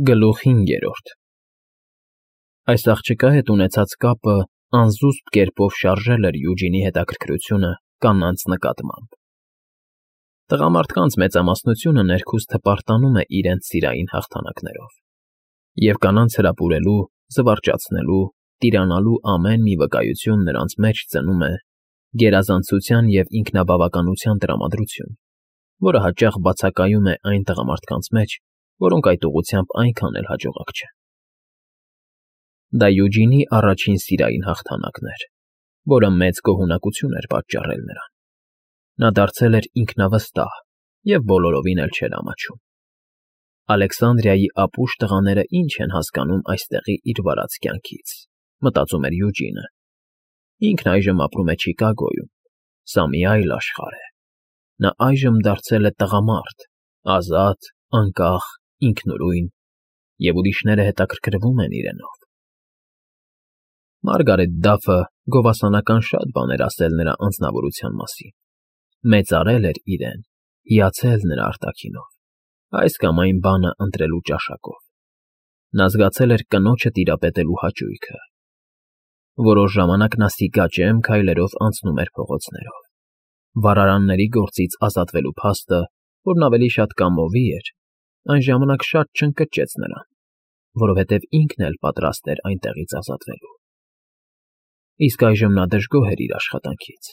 Գլուխ 5 Այս աղջկա հետ ունեցած կապը անզուսպ կերպով շարժել էր Յուջինի հետաքրքրությունը կանանց նկատմամբ։ Տղամարդկանց մեծամասնությունը ներքուստ հպարտանում է իրենց սիրային հաղթանակներով, և կանանց հրապուրելու, զվարճացնելու, տիրանալու ամեն մի վկայություն նրանց մեջ ծնում է գերազանցության և ինքնաբավականության տրամադրություն, որը հաճախ բացակայում է այն տղամարդկանց մեջ, որոնք այդ ուղղությամբ այնքան էլ հաջողակ չեն։ Դա Յուջինի առաջին սիրային հաղթանակն էր, որը մեծ գոհունակություն էր պատճառել նրան։ Նա դարձել էր ինքնավստահ և բոլորովին էլ չէր ամաչում։ Ալեքսանդրիայի ապուշ տղաները ինչ են հասկանում այստեղի իր վարած կյանքից, մտածում էր Յուջինը։ Ինքն այժմ ապրում է Չիկագոյում, սա մի այլ աշխարհ է։ Նա այժմ դարձել է տղամարդ, ազատ, անկախ, ինքնուրույն, և ուրիշները հետաքրքրվում են իրենով։ Մարգարետ Դաֆը գովասանական շատ բաներ ասել նրա անձնավորության մասին, մեծարել էր իրեն, հիացել նրա արտաքինով, այս կամ այն բանը ընտրելու ճաշակով։ Նա զգացել էր կնոջը տիրապետելու հաճույքը։ Որոշ ժամանակ նա սիկաճեմ քայլերով անցնում էր փողոցներով։ Վառարանների գործից ազատվելու փաստը, որն ավելի շատ կամովի էր, այն ժամանակ շատ չընկճեց նրան, որովհետև ինքն էլ պատրաստ էր այնտեղից ազատվելու։ Իսկ այժմ նա դժգոհ էր իր աշխատանքից։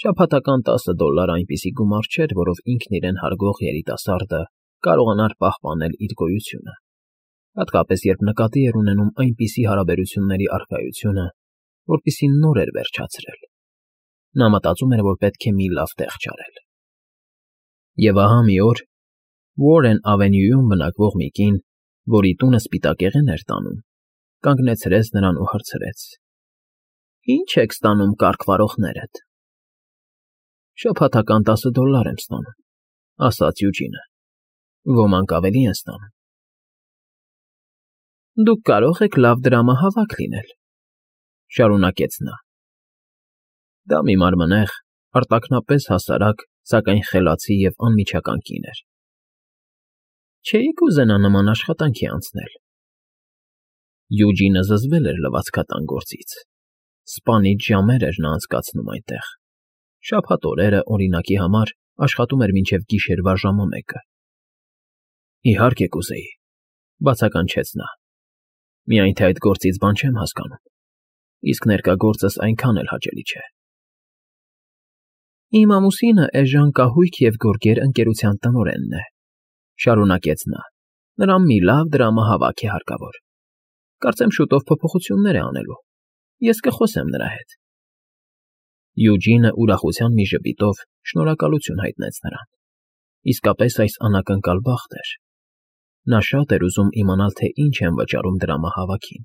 Շաբաթական $10 այնպիսի գումար չէր, որով ինքն իրեն հարգող երիտասարդը կարողանար պահպանել իր գոյությունը, հատկապես երբ նկատի էր ունենում այնպիսի հարաբերությունների առկայությունը, որպիսի նոր էր վերջացրել։ Նա մտածում էր, որ պետք է մի լավ տեղ չարել։ Եվ ահա մի օր Warren Avenue-ում բնակվող մի կին, որի տունը սպիտակեղեն էր տանում, կանգնեցրեց նրան ու հարցրեց. «Ի՞նչ եք ստանում կառք վարողներդ»։ «Շաբաթական $10 եմ ստանում», ասաց Յուջինը։ «Ոմանք ավելի են ստանում»։ «Դուք կարող եք լավ դրամահավաք լինել», շարունակեց նա։ Դա մի մարմնեղ, արտաքնապես հասարակ, սակայն խելացի և անմիջական կին էր։ «Չէի՞ք ուզենա նման աշխատանքի անցնել»։ Յուջինը զզվել էր լվացքատան գործից։ Սպանիչ ժամեր էր նա անցկացնում այնտեղ։ Շաբաթ օրերը, օրինակի համար, աշխատում էր մինչև գիշերվա ժամը 1-ը։ «Իհարկե կուզեի», բացականչեց նա։ «Միայն թե այդ գործից բան չեմ հասկանում, իսկ ներկա գործս այնքան էլ հաճելի չէ»։ «Իմ ամուսինը էժան կահույք և գորգեր ընկերության տնօրենն է», շարունակեց նա։ «Նրան մի լավ դրամահավաք է հարկավոր։ Կարծեմ շուտով փոփոխություններ է անելու։ Ես կխոսեմ նրա հետ»։ Յուջինը ուրախության մի ժպիտով շնորհակալություն հայտնեց նրան։ Իսկապես այս անակնկալ բախտ էր։ Նա շատ էր ուզում իմանալ, թե ինչ են վճարում դրամահավաքին,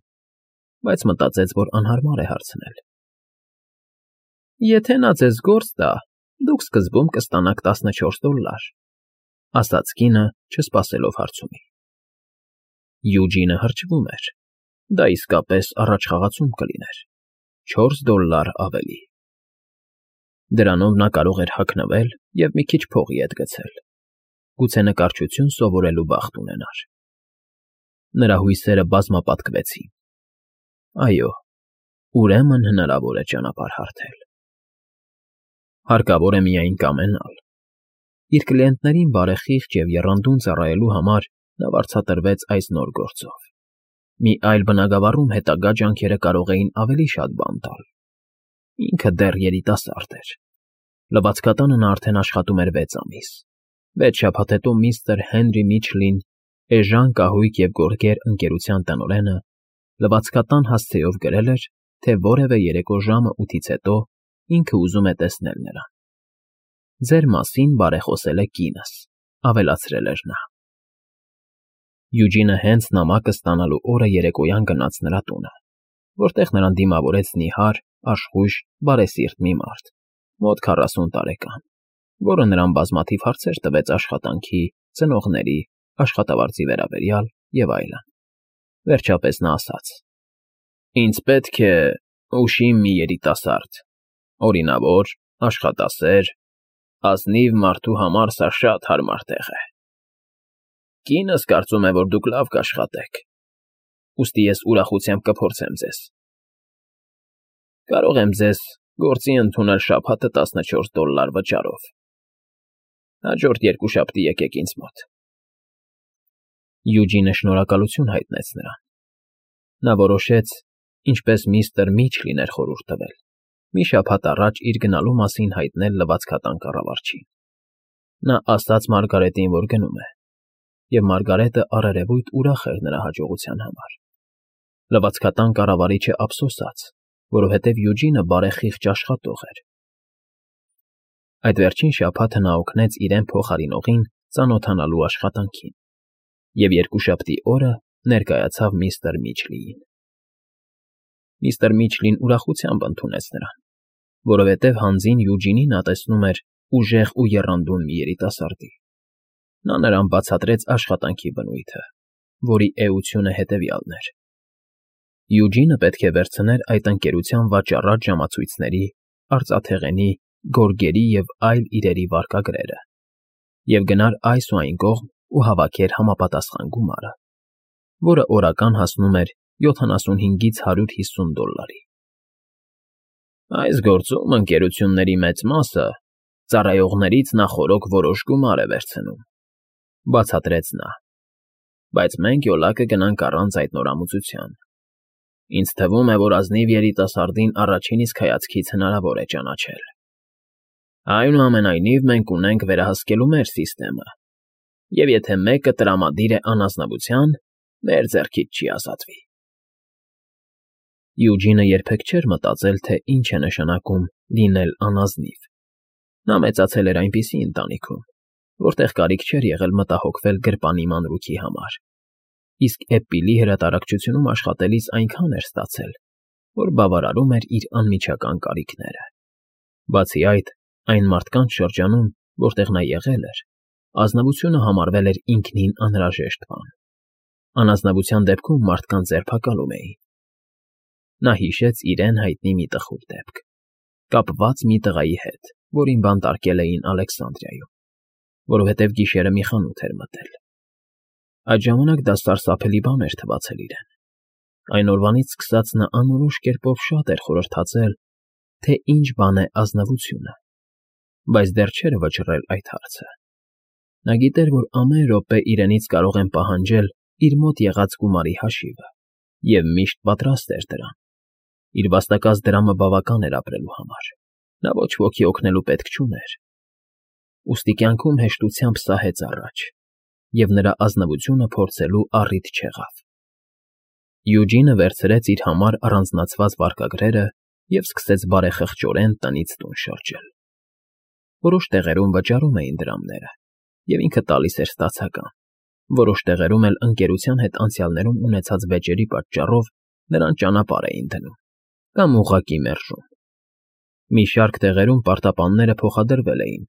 բայց մտածեց, որ անհարմար է հարցնել։ «Եթե նա ձեզ գործ տա, դուք սկզբում կստանաք $14», ասաց կինը, չսպասելով հարցումի։ Յուջինը հրճվում էր։ Դա իսկապես առաջխաղացում կլիներ։ $4 ավելի։ Դրանով նա կարող էր հագնվել և մի քիչ փողի ետ գցել։ Գուցե նկարչություն սովորելու բախտ ունենար։ Նրա հույսերը բազմապատկվեցին։ Այո, ուրեմն հնարավոր է ճանապարհ հարթել։ Հարկավոր է միայն կամենալ։ Իր կլիենտներին բարեխիղճ և եռանդուն ծառայելու համար նա վարձատրվեց այս նոր գործով։ Մի այլ բնագավառում հետագա ջանքերը կարող էին ավելի շատ բան տալ։ Ինքը դեռ երիտասարդ էր։ Լվացկատանը նա արդեն աշխատում էր 6 ամիս։ 6 շաբաթ հետո միստր Հենրի Միչլին, էժան կահույք և գորգեր ընկերության տնօրենը, լվացկատան հասցեով գրել էր, թե որևէ երեկո ժամը 8-ից հետո ինքը ուզում է տեսնել նրան։ «Ձեր մասին բարեխոսել է կինս», ավելացրել էր նա։ Յուջինը հենց նամակը ստանալու օրը երեկոյան գնաց նրա տունը, որտեղ նրան դիմավորեց նիհար, աշխույժ, բարեսիրտ մի մարդ, մոտ 40 տարեկան, որը նրան բազմաթիվ հարցեր տվեց աշխատանքի, ծնողների, աշխատավարձի վերաբերյալ և այլն։ Վերջապես նա ասաց. «Ինձ պետք է ուշիմ մի երիտասարդ, օրինավոր, աշխատասեր, ազնիվ մարդու համար սա շատ հարմար տեղ է»։ Կինս կարծում է, որ դուք լավ կաշխատեք, ուստի ես ուրախությամբ կփորձեմ ձեզ։ Կարող եմ ձեզ գործի ընդունել շաբաթը $14 վճարով։ Հաջորդ երկուշաբթի եկեք ինձ մոտ։ Յուջինը շնորհակալություն հայտնեց նրան։ Նա որոշեց, ինչպես միստր Միչլին էր խորհուրդ տվել, մի շաբաթ առաջ իր գնալու մասին հայտնել լվացքատան կառավարչին։ Նա ասաց Մարգարետին, որ գնում է, և Մարգարետը առերևույթ ուրախ էր նրա հաջողության համար։ Լվացքատան կառավարիչը ափսոսաց, որովհետև Յուջինը բարեխիղճ աշխատող էր։ Այդ վերջին շաբաթը նա օգնեց իրեն փոխարինողին ծանոթանալու աշխատանքին, և երկուշաբթի օրը ներկայացավ միստր Միչլիին։ Միստր Միչլին ուրախությամբ ընդունեց նրան, որովհետև հանձին Յուջինին նա տեսնում էր ուժեղ ու եռանդուն մի երիտասարդի։ Նա նրան բացատրեց աշխատանքի բնույթը, որի էությունը հետևյալն էր. Յուջինը պետք է վերցներ այդ ընկերության վաճառած ժամացույցների, արծաթեղենի, գորգերի և այլ իրերի վարկագրերը և գնար այս ու այն կողմ ու հավաքեր համապատասխան գումարը, որը օրական հասնում էր $75-ից $150։ Այս գործում ընկերությունների մեծ մասը ծառայողներից նախօրոք որոշ գումար է վերցնում, բացատրեց նա, բայց մենք յոլա կգնանք առանց այդ նորամուծության։ Ինձ թվում է, որ ազնիվ երիտասարդին առաջին իսկ հայացքից հնարավոր է ճանաչել։ Այնուամենայնիվ մենք ունենք վերահսկելու մեր սիստեմը, և եթե մեկը տրամադիր է անազնվության, մեր ձեռքից չի ազատվի։ Յուջինը երբեք չէր մտածել, թե ինչ է նշանակում լինել անազնիվ։ Նա մեծացել էր այնպիսի ընտանիքում, որտեղ կարիք չէր եղել մտահոգվել գրպանի մանրուքի համար, իսկ էպիլի հրատարակչությունում աշխատելիս այնքան էր ստացել, որ բավարարում էր իր անմիջական կարիքները։ Բացի այդ, այն մարդկանց շրջանում, որտեղ նա եղել էր, ազնվությունը համարվել էր ինքնին անհրաժեշտ բան։ Անազնվության դեպքում մարդկանց ձերբակալում էին։ Նա հիշեց իրեն հայտնի մի տխուր դեպք, կապված մի տղայի հետ, որին բանտարկել էին Ալեքսանդրիայում, որովհետև գիշերը մի խանութ էր մտել։ Այդ ժամանակ դա սարսափելի բան էր թվացել իրեն։ Այն օրվանից սկսած նա անորոշ կերպով շատ էր խորհրդածել, թե ինչ բան է ազնվությունը, բայց դեռ չէր վճռել այդ հարցը։ Նա գիտեր, որ ամեն րոպե իրենից կարող են պահանջել իր մոտ եղած գումարի հաշիվը, և միշտ պատրաստ էր դրան։ Իր վաստակած դրամը բավական էր ապրելու համար։ Նա ոչ ոքի օգնելու պետք չուներ։ Ուստի կյանքում հեշտությամբ սահեց առաջ, և նրա ազնվությունը փորձելու առիթ չեղավ։ Յուջինը վերցրեց իր համար առանձնացված վարկագրերը և սկսեց բարեխղճորեն տնից տուն շրջել։ Որոշ տեղերում վճարում էին դրամները, և ինքը տալիս էր ստացական, որոշ տեղերում էլ ընկերության հետ անցյալներում ունեցած վեճերի պատճառով նրան ճանապարհ էին դնում կամ ուղղակի մերժում։ Մի շարք տեղերում պարտապանները փոխադրվել էին,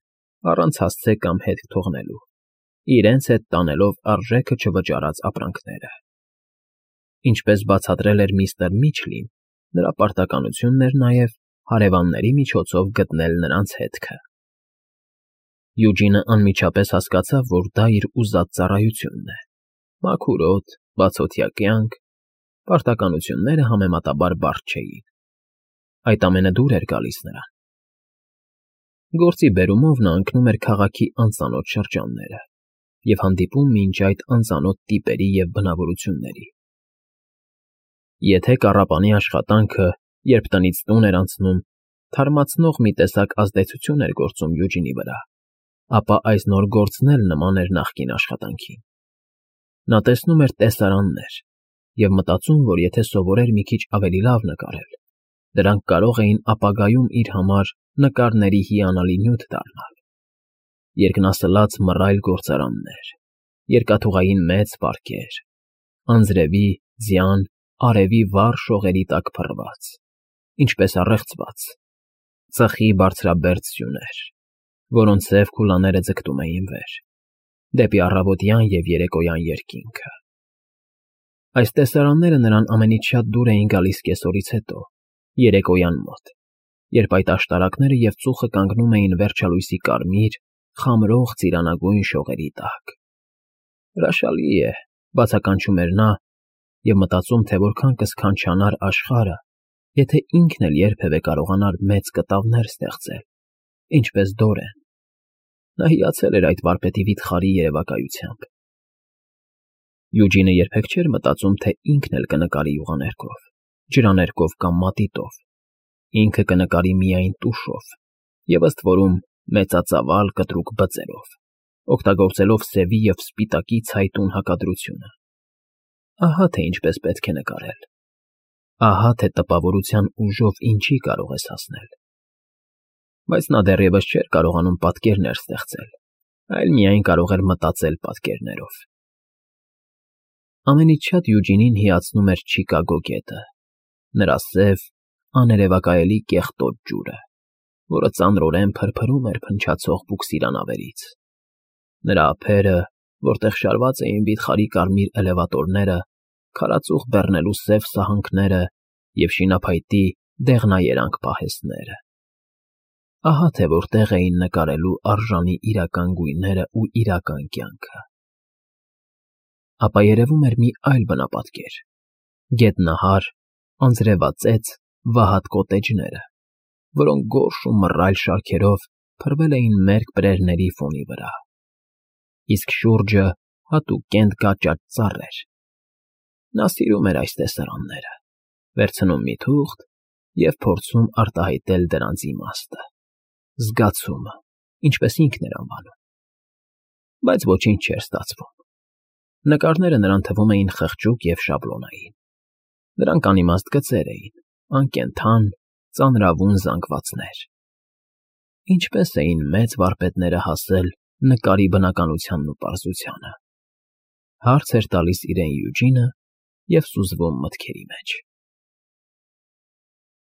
առանց հասցե կամ հետք թողնելու, իրենց հետ տանելով արժեքը չվճարած ապրանքները։ Ինչպես բացատրել էր միստր Միչլին, նրա պարտականությունն էր նաև հարևանների միջոցով գտնել նրանց հետքը։ Յուջինը անմիջապես հասկացավ, որ դա իր ուզած ծառայությունն է։ Մաքուր օդ, բացօթյա կյանք, պարտականությունները համեմատաբար բարդ չէին։ Այդ ամենը դուր էր գալիս նրան։ Գործի բերումով նա ընկնում էր քաղաքի անծանոթ շրջանները և հանդիպում մինչ այդ անծանոթ տիպերի և բնավորությունների։ Եթե կառապանի աշխատանքը, երբ տնից տուն էր անցնում, թարմացնող մի տեսակ ազդեցություն էր գործում Յուջինի վրա, ապա այս նոր գործն էլ նման էր նախկին աշխատանքին։ Նա տեսնում էր տեսարաններ և մտածում, որ եթե սովորեր մի քիչ ավելի լավ նկարել, դրանք կարող էին ապագայում իր համար նկարների հիանալի նյութ դառնալ։ Երկնասլաց մռայլ գործարաններ, երկաթուղային մեծ պարկեր, անձրևի, ձյան, արևի վառ շողերի տակ փռված, ինչպես առեղծված, ծխի բարձրաբերդ սյուներ, որոնց սև քուլաները ձգտում էին վեր, դեպի առավոտյան և երեկոյան երկինքը։ Այս տեսարանները նրան ամենից շատ դուր էին գալիս կեսօրից հետո, երեկոյան մոտ, երբ այդ աշտարակները և ծուխը կանգնում էին վերջալույսի կարմիր, խամրող ծիրանագույն շողերի տակ։ Հրաշալի է, բացականչում էր նա և մտածում, թե որքան կսքանչանար աշխարհը, եթե ինքն էլ երբևէ կարողանար մեծ կտավներ ստեղծել, ինչպես Դորեն։ Նա հիացել էր այդ վարպետի վիթխարի երևակայությամբ։ Յուջինը երբեք չէր մտածում, թե ինքն էլ կնկարի յուղաներկով, ջրաներկով կամ մատիտով, ինքը կնկարի միայն տուշով և ըստ որում մեծածավալ կտրուկ բծերով, օգտագործելով սևի և սպիտակի ցայտուն հակադրությունը։ Ահա թե ինչպես պետք է նկարել, ահա թե տպավորության ուժով ինչի կարող ես հասնել։ Բայց նա դեռևս չէր կարողանում պատկերներ ստեղծել, այլ միայն կարող էր մտածել պատկերներով։ Ամենից շատ Յուջինին հիացնում էր Չիկագո գետը, նրա սև, աներևակայելի կեղտոտ ջուրը, որը ծանրորեն փրփրում էր փնչացող բուքսիրանավերից, նրա ափերը, որտեղ շարված էին վիթխարի կարմիր էլևատորները, քարածուխ բեռնելու սև սահանքները և շինափայտի դեղնաերանգ պահեստները։ Ահա թե որտեղ էին նկարելու արժանի իրական գույներն ու իրական կյանքը։ Ապա երևում էր մի այլ բնապատկեր. գետնահար, անձրևածեց, վահատ կոտեջները, որոնք գորշ ու մռայլ շարքերով փռվել էին մերկ բրերների ֆոնի վրա, իսկ շուրջը հատուկ կենտ֊կաճաճ ծառեր։ Նա սիրում էր այս տեսարանները, վերցնում մի թուղթ և փորձում արտահայտել դրանց իմաստը, զգացումը, ինչպես ինքն էր անվանում։ Բայց ոչինչ չէր ստացվում։ Նկարները նրան թվում էին խղճուկ և շաբլոնային։ Նրանք անիմաստ գծեր էին, անկենդան, ծանրավուն զանգվածներ։ Ինչպե՞ս էին մեծ վարպետները հասել նկարի բնականությանն ու պարզությանը, հարց էր տալիս իրեն Յուջինը և սուզվում մտքերի մեջ։